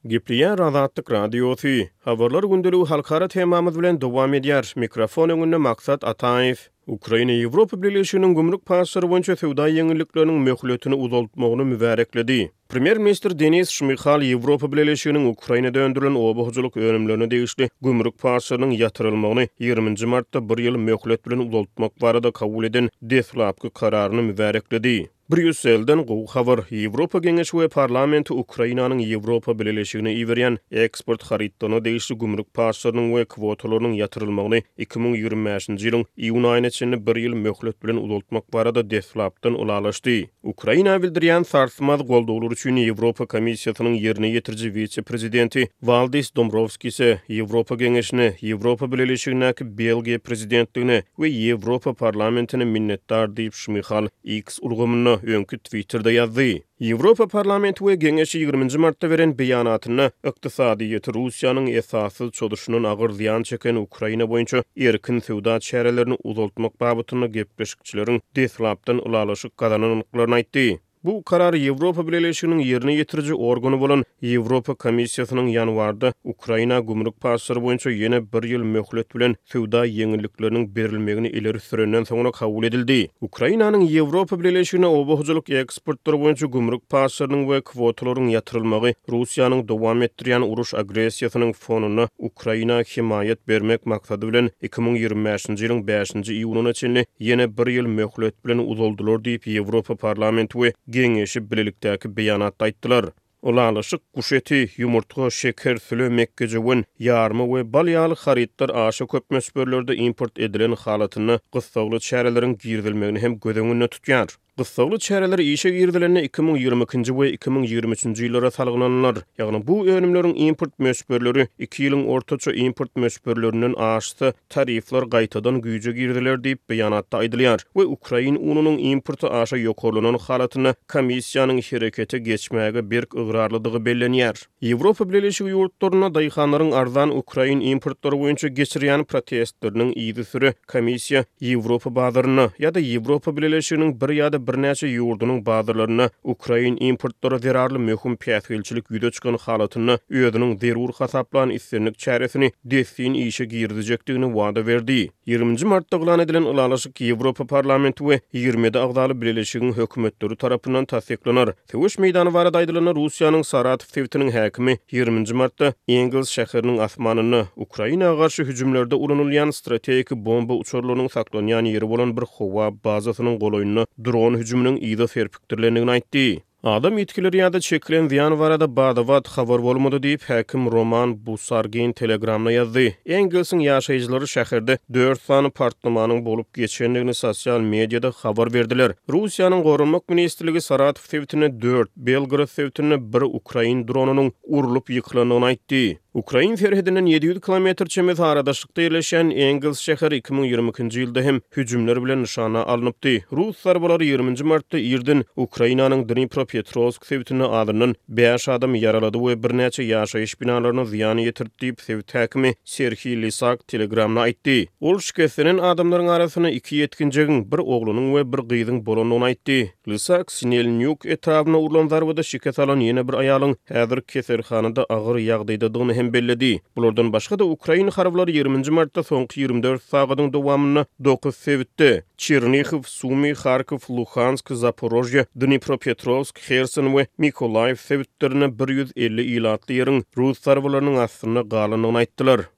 Gepleýär Azatlyk Radiosy. Habarlar gündeligi halkara temamyz bilen dowam edýär. Mikrofon öňünde Maksat Ataýew. Ukraina Ýewropa Bileleşiginiň gümrük paçlary boýunça söwda ýeňillikleriniň möhletini uzaltmagyny mübärekledi. Premýer-ministr Denis Şmyhal Ýewropa Bileleşiginiň Ukrainada öndürilen oba hojalyk önümlerine degişli gümrük paçlarynyň ýatyrylmagyny ýigriminji martda bir ýyl möhlet bilen uzaltmak barada kabul eden deslapky kararyny mübärekledi. Brýusselden gowy habar, Ýewropa Geňeşi we Parlamenti Ukrainanyň Ýewropa Bileleşigine iberýän eksport harytlaryna degişli gümrük paçlarynyň we kwotalarynyň ýatyrylmagyny 2025-nji ýylyň iýun aýyna çenli bir ýyl möhlet bilen uzaltmak barada deslapdan ylalaşdy. Ukraina bildirýän sarsmaz goldawlary üçin Ýewropa Komissiýasynyň ýerine ýetiriji wise-prezidenti Waldis Dombrowskise, Ýewropa Geňeşine, Ýewropa Bileleşigindäki Belgiýa prezidentligine we Ýewropa Parlamentine minnetdar diýip, Şmyhal X ulgamynda, öňki Twitterde ýazdy. Ýewropa Parlamenti we Geňeşi ýigriminji martda beren beýanatynda ykdysadyýeti Russiýanyň esassyz çozuşyndan agyr zyýan çeken Ukraina boýunça erkin söwda çärelerini uzaltmak babatynda gepleşikçileriň deslapdan ylalaşyk gazanandyklaryny aýtdy. Bu karar Ýewropa Bileleşiginiň ýerine ýetiriji organy bolan Ýewropa Komissiýasynyň ýanwarda Ukraina gümrük paçlary boýunça ýene bir ýyl möhlet bilen söwda ýeňillikleriniň berilmegini ileri sürenden soňra kabul edildi. Ukrainanyň Ýewropa Bileleşigine oba hojalyk eksportlary boýunça gümrük paçlarynyň we kwotalaryň ýatyrylmagy Russiýanyň dowam etdirýän uruş agressiýasynyň fonunda Ukraina hemaýat bermek maksady bilen 2025-nji ýylyň bäşinji iýunyna çenli ýene bir ýyl möhlet bilen uzaldylar diýip, Ýewropa Parlamenti we Geňeşi bilelikdäki beýanatda aýtdylar. Ylalaşyk guş eti, ýumurtga, şeker, süle, mekgejöwen, ýarma we bal ýaly harytlar aşa köp möçberlerde import edilen halatynda gyssagly çäreleriň girizilmegini hem göz öňünde tutýar. Gyssagly çäreler işe girizilende 2022-nji we 2023-nji ýyllara salgylanylar, ýagny bu önümleriň import möçberleri iki ýylyň ortaça import möçberlerinden aşsa, tarifler gaýtadan güýje giriziler diýip, beýanatda aýdylýar we ukrain ununyň importy aşa ýokarlanan halatynda komissiýanyň herekete geçmäge berk ygrarlydygy bellenýär. Ýewropa Bileleşigi ýurtlarynda daýhanlaryň arzan ukrain importlary boýunça geçirýän protestleriniň yzysüre komissiýa Ýewropa bazarynda ýa-da Ýewropa Bileleşiginiň bir ýa-da birnäçe ýurdunyň bazarlarynda ukrain importlary zerarly möhüm päsgelçilik ýüze çykan halatynda özüniň zerur hasaplan islendik çäresini dessin işe girizjekdigini wada berdi. Ýigriminji martda yglan edilen ylalaşyk Ýewropa Parlamenti we 27 agzaly bileleşigiň hökümetleri tarapyndan tassyklanar. Söweş meýdany barada aýdylanda, Russiýanyň Saratow sebitiniň häkimi ýigriminji martda Engels şäheriniň asmanynda Ukraina garşy hüjümlerde ulanylýan strategik bomba uçarlarynyň saklanýan ýeri bolan bir howa bazasynyň golaýynda dron hüjüminiň yza serpikdirilendigini aýtdy. Adam ýitgileri ýa-da çekilen zyýan barada bada-bat habar bolmady diýip, häkim Roman Busargin Telegramda ýazdy. Engelsiň ýaşaýjylary şäherde dört sany partlamanyň bolup geçendigini sosial mediada habar berdiler. Russiýanyň Goranmak ministrligi Saratow sebitinde dört, Belgorod sebitinde bir ukrain dronynyň urlup ýykylandygyny aýtdy. Ukrain serhedinden 700 kilometr çemesi aradaşlykda ýerleşýän Engels şäheri 2022-nji ýylda hem hüjümler bilen nyşana alnypdy. Rus zarbalary ýigriminji martda irden Ukrainanyň Dnipropetrowsk sebitinde azyndan bäş adamy ýaralady we birnäçe ýaşaýyş binalaryna zyýan ýetirdi diýip, sebit häkimi Serhiý Lisak Telegramda aýtdy. Ol şikeslenen adamlaryň arasynda iki ýetginjegiň, bir oglanyň we bir gyzyň bolandygyny aýtdy. Lysak Sinelnýuk etrabyna urlan zarbada şikes alan ýene bir aýalyň häzir keselhanada agyr ýagdaýdadygyny hem belledi. Bulardan başga-da, ukrain harbylary ýigriminji martda soňky 24 sagadyň dowamynda dokuz sebitde, Çernihiw, Sumy, Harkow, Luhansk, Zaporožýe, Dnipropetrowsk, Herson we Mykolaýiw sebitlerinde 150 ilatly ýeriň rus zarbalarynyň astynda galandygyny aýtdylar.